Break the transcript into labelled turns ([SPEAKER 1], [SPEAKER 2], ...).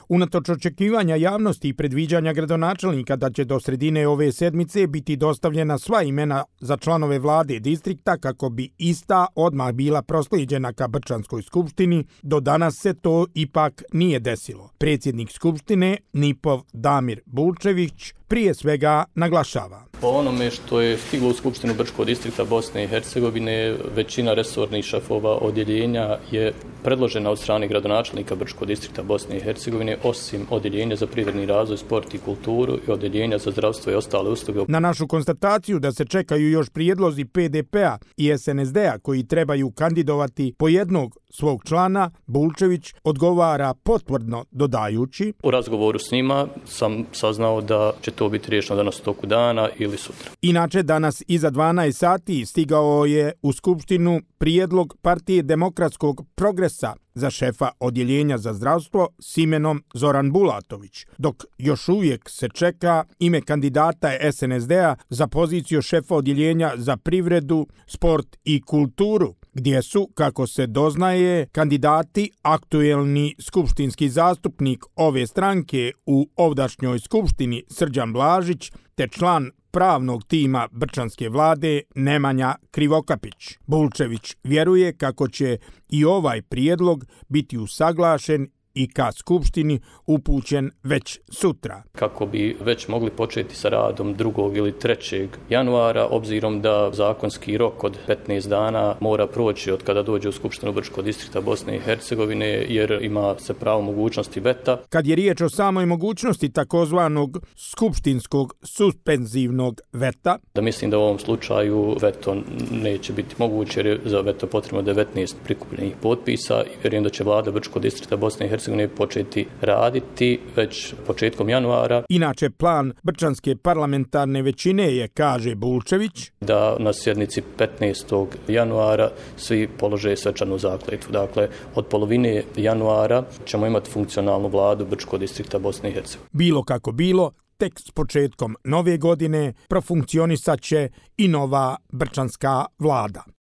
[SPEAKER 1] Unatoč očekivanja javnosti i predviđanja gradonačelnika da će do sredine ove sedmice biti dostavljena sva imena za članove vlade distrikta kako bi ista odmah bila proslijeđena ka Brčanskoj skupštini, do danas se to ipak nije desilo. Predsjednik skupštine Nipov Damir Bulčević prije svega naglašava.
[SPEAKER 2] Po onome što je stiglo u Skupštinu Brčkog distrikta Bosne i Hercegovine, većina resornih šefova odjeljenja je predložena od strane gradonačelnika Brčkog distrikta Bosne i Hercegovine, osim odjeljenja za privredni razvoj, sport i kulturu i odjeljenja za zdravstvo i ostale usluge.
[SPEAKER 1] Na našu konstataciju da se čekaju još prijedlozi PDP-a i SNSD-a koji trebaju kandidovati po jednog svog člana, Bulčević odgovara potvrdno dodajući:
[SPEAKER 2] U razgovoru s njima sam saznao da će to biti riješeno danas u toku dana ili sutra.
[SPEAKER 1] Inače, danas iza 12 sati stigao je u Skupštinu prijedlog Partije demokratskog progresa za šefa odjeljenja za zdravstvo s imenom Zoran Bulatović, dok još uvijek se čeka ime kandidata SNSD-a za poziciju šefa odjeljenja za privredu, sport i kulturu, gdje su, kako se doznaje, kandidati aktuelni skupštinski zastupnik ove stranke u ovdašnjoj skupštini Srđan Blažić te član pravnog tima Brčanske vlade Nemanja Krivokapić. Bulčević vjeruje kako će i ovaj prijedlog biti usaglašen i ka skupštini upućen već sutra.
[SPEAKER 2] Kako bi već mogli početi sa radom 2. ili 3. januara, obzirom da zakonski rok od 15 dana mora proći od kada dođe u Skupštinu Brčkog distrikta Bosne i Hercegovine, jer ima se pravo mogućnosti veta.
[SPEAKER 1] Kad je riječ o samoj mogućnosti takozvanog skupštinskog suspenzivnog veta,
[SPEAKER 2] da mislim da u ovom slučaju veto neće biti moguće, jer je za veto potrebno 19 prikupljenih potpisa i vjerujem da će vlada Brčkog distrikta Bosne i Hercegovine početi raditi već početkom januara.
[SPEAKER 1] Inače, plan Brčanske parlamentarne većine je, kaže Bulčević,
[SPEAKER 2] da na sjednici 15. januara svi polože svečanu zakletvu. Dakle, od polovine januara ćemo imati funkcionalnu vladu Brčkog distrikta Bosne i Hercegovine.
[SPEAKER 1] Bilo kako bilo, tek s početkom nove godine profunkcionisat će i nova brčanska vlada.